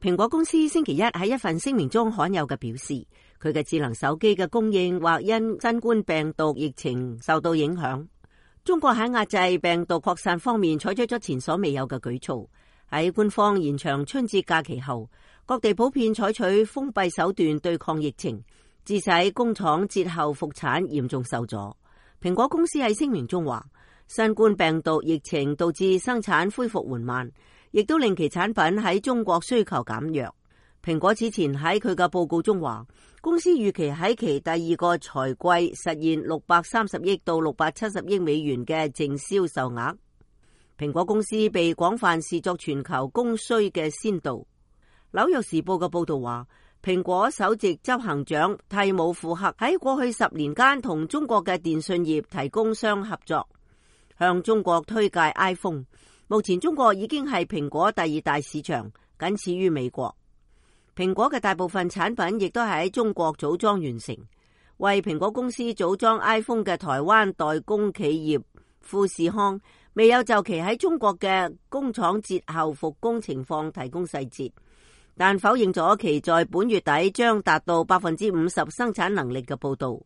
蘋果公司星期一喺一份聲明中罕有嘅表示，佢嘅智能手機嘅供應或因新冠病毒疫情受到影響。中國喺壓制病毒擴散方面採取咗前所未有嘅舉措。喺官方延長春節假期後，各地普遍採取封閉手段對抗疫情，致使工廠節後復產嚴重受阻。蘋果公司喺聲明中話，新冠病毒疫情導致生產恢復緩慢，亦都令其產品喺中國需求減弱。蘋果此前喺佢嘅報告中話，公司預期喺其第二個財季實現630億到670億美元嘅淨銷售額。蘋果公司被廣泛視作全球供需嘅先導。紐約時報嘅報道話，蘋果首席執行長蒂姆庫克喺過去10年間同中國嘅電信業提供商合作，向中國推介 iPhone。目前中國已經係蘋果第2大市場，僅次於美國。蘋果嘅大部分產品亦都係喺中國組裝完成。為蘋果公司組裝 iPhone 嘅台灣代工企業富士康未有就其喺中國嘅工廠節後復工情況提供細節，但否認咗其在本月底將達到50%生產能力嘅報道。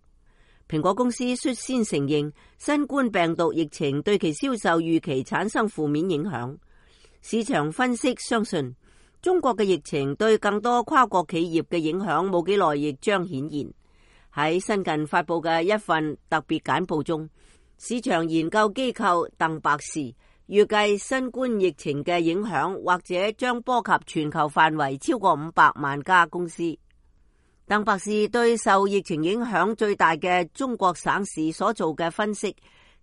蘋果公司率先承認新冠病毒疫情對其銷售預期產生負面影響。市場分析相信，中國嘅疫情對更多跨國企業嘅影響冇幾耐亦將顯現。喺新近發佈嘅一份特別簡報中，市場研究機構鄧博士預計新冠疫情嘅影響或者將波及全球範圍超過500萬家公司。鄧博士對受疫情影響最大嘅中國省市所做嘅分析，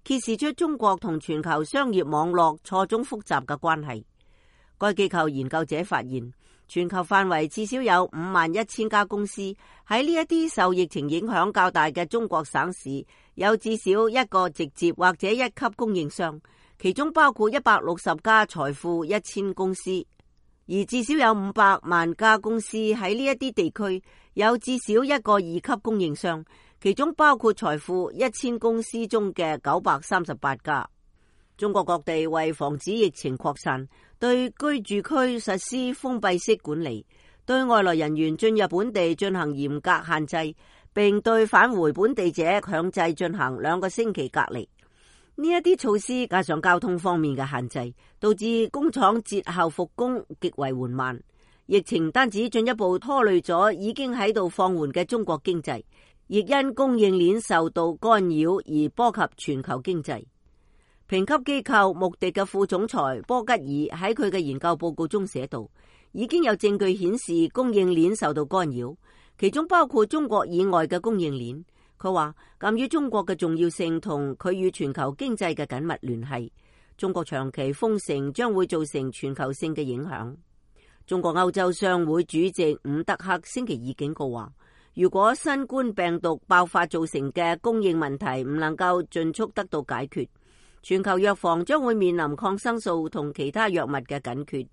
揭示出中國同全球商業網絡錯綜複雜嘅關係。該機構研究者發現，全球範圍至少有51000家公司喺呢一啲受疫情影響較大嘅中國省市，有至少一個直接或者一級供應商，其中包括160家財富1000公司。而至少有500萬家公司喺呢一啲地區有至少一個2級供應商，其中包括財富1000公司中嘅938家。中國各地為防止疫情擴散，對居住區實施封閉式管理，對外來人員進入本地進行嚴格限制，並對返回本地者強制進行2個星期隔離。呢一啲措施加上交通方面嘅限制，導致工廠節後復工極為緩慢。疫情單止進一步拖累咗已經喺度放緩嘅中國經濟，亦因供應鏈受到干擾而波及全球經濟。評級機構穆迪嘅副總裁波吉爾喺佢嘅研究報告中寫道，已經有證據顯示供應鏈受到干擾，其中包括中國以外嘅供應鏈。佢話，鑒於中國嘅重要性同佢與全球經濟嘅緊密聯繫，中國長期封城將會造成全球性嘅影響。中國歐洲商會主席伍德克星期二警告話，如果新冠病毒爆發造成嘅供應問題唔能夠盡速得到解決，全球藥房將會面臨抗生素同其他藥物嘅緊缺。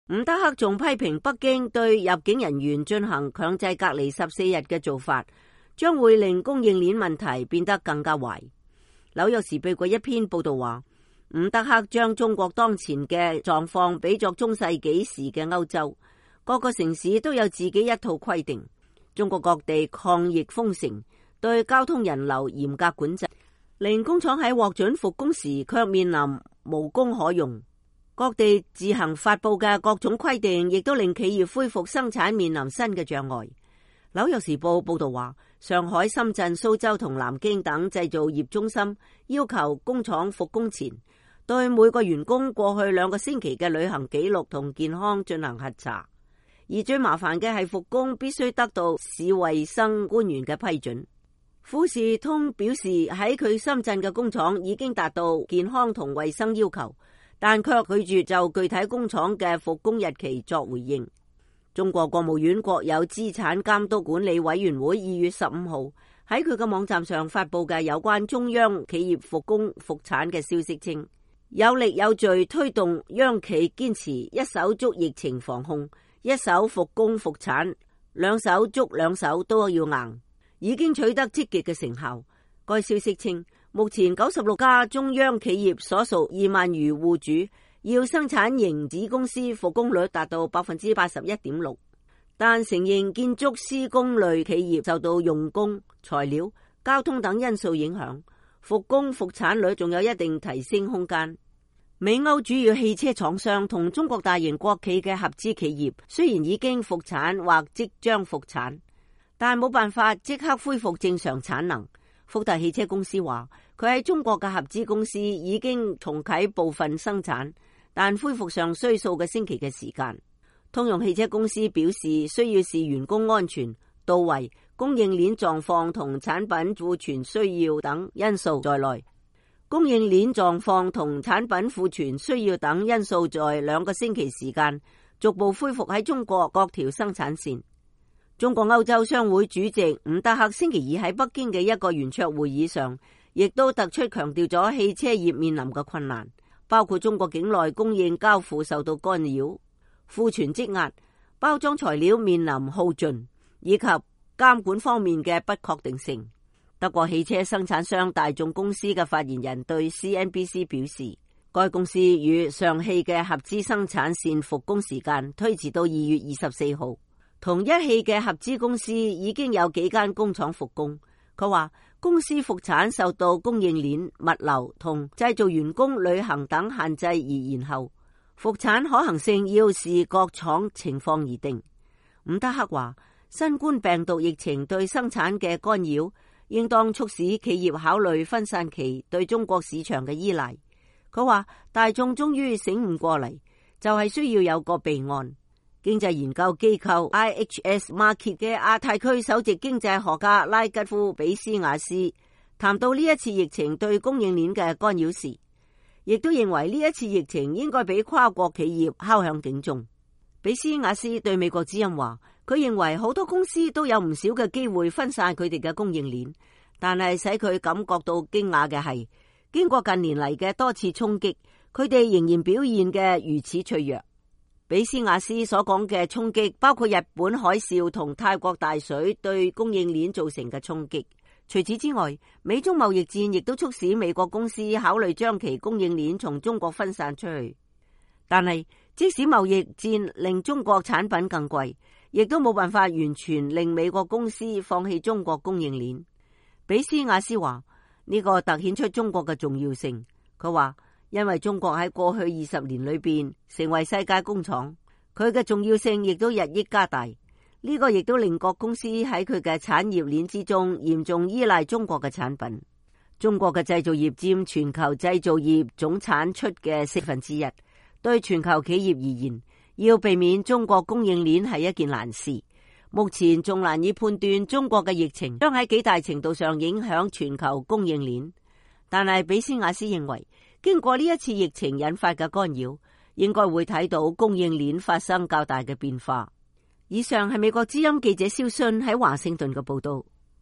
伍德克仲批評北京對入境人員進行強制隔離14日嘅做法，將會令供應鏈問題變得更加壞。紐約時報嘅一篇報道話，伍德克將中國當前嘅狀況比作中世紀時嘅歐洲，各個城市都有自己一套規定。中國各地抗疫封城，對交通人流嚴格管制，令工廠喺獲准復工時卻面臨無工可用。各地自行發佈嘅各種規定，亦都令企業恢復生產面臨新嘅障礙。紐約時報報道話，上海、深圳、蘇州同南京等製造業中心要求工廠復工前，對每個員工過去2個星期嘅旅行記錄同健康進行核查。而最麻煩嘅係復工必須得到市衛生官員嘅批准。富士通表示喺佢深圳嘅工廠已經達到健康同衛生要求，但卻拒絕就具體工廠嘅復工日期作回應。中國國務院國有資產監督管理委員會2月15號喺佢嘅網站上發佈嘅有關中央企業復工復產嘅消息稱，有力有序推動央企堅持一手捉疫情防控，一手復工復產，兩手捉兩手都要硬，已經取得積極嘅成效。該消息稱，目前96家中央企業所屬2萬餘戶主要生產型子公司復工率達到 81.6%， 但承認建築施工類企業受到用工、材料、交通等因素影響，復工復產率仲有一定提升空間。美歐主要汽車廠商同中國大型國企嘅合資企業雖然已經復產或即將復產，但冇辦法即刻恢復正常產能。福特汽車公司話，佢喺中國嘅合資公司已經重啟部分生產，但恢復上需數個星期嘅時間。通用汽車公司表示，需要視員工安全、到位、供應鏈狀況同產品庫存需要等因素在內。供應鏈狀況同產品庫存需要等因素在2個星期時間逐步恢復喺中國各條生產線。中國歐洲商會主席伍德克星期二喺北京嘅一個圓桌會議上，亦都突出強調咗汽車業面臨嘅困難，包括中國境內供應交付受到干擾、庫存積壓、包裝材料面臨耗盡，以及監管方面嘅不確定性。德國汽車生產商大眾公司嘅發言人對 CNBC 表示，該公司與上汽嘅合資生產線復工時間推遲到2月24號。同一汽嘅合資公司已經有幾間工廠復工。佢話公司復產受到供應鏈、物流同製造員工旅行等限制而延後，復產可行性要視各廠情況而定。伍德克話，新冠病毒疫情對生產嘅干擾應當促使企業考慮分散其對中國市場嘅依賴。佢話大眾終於醒悟過嚟，就係需要有個備案。經濟研究機構 IHS Markit 嘅亞太區首席經濟學家拉吉夫比斯亞斯談到呢一次疫情對供應鏈嘅干擾時，亦都認為呢一次疫情應該俾跨國企業敲響警鐘。比斯亞斯對美國之音話，佢認為好多公司都有唔少嘅機會分散佢哋嘅供應鏈，但係使佢感覺到驚訝嘅係，經過近年嚟嘅多次衝擊，佢哋仍然表現嘅如此脆弱。比斯亞斯所講嘅衝擊包括日本海嘯同泰國大水對供應鏈造成嘅衝擊。除此之外，美中貿易戰亦都促使美國公司考慮將其供應鏈從中國分散出去。但係即使貿易戰令中國產品更貴，亦都冇辦法完全令美國公司放棄中國供應鏈。比斯亞斯話，呢個凸顯出中國嘅重要性。佢話，因為中國喺過去20年裏邊成為世界工廠，佢嘅重要性亦都日益加大。呢個亦都令各公司喺佢嘅產業鏈之中嚴重依賴中國嘅產品。中國嘅製造業佔全球製造業總產出嘅1/4。對全球企業而言，要避免中國供應鏈係一件難事。目前仲難以判斷中國嘅疫情將喺幾大程度上影響全球供應鏈。但係比斯亞斯認為，經過呢一次疫情引發嘅干擾，應該會睇到供應鏈發生較大嘅變化。以上係美國之音記者蕭信喺華盛頓嘅報道。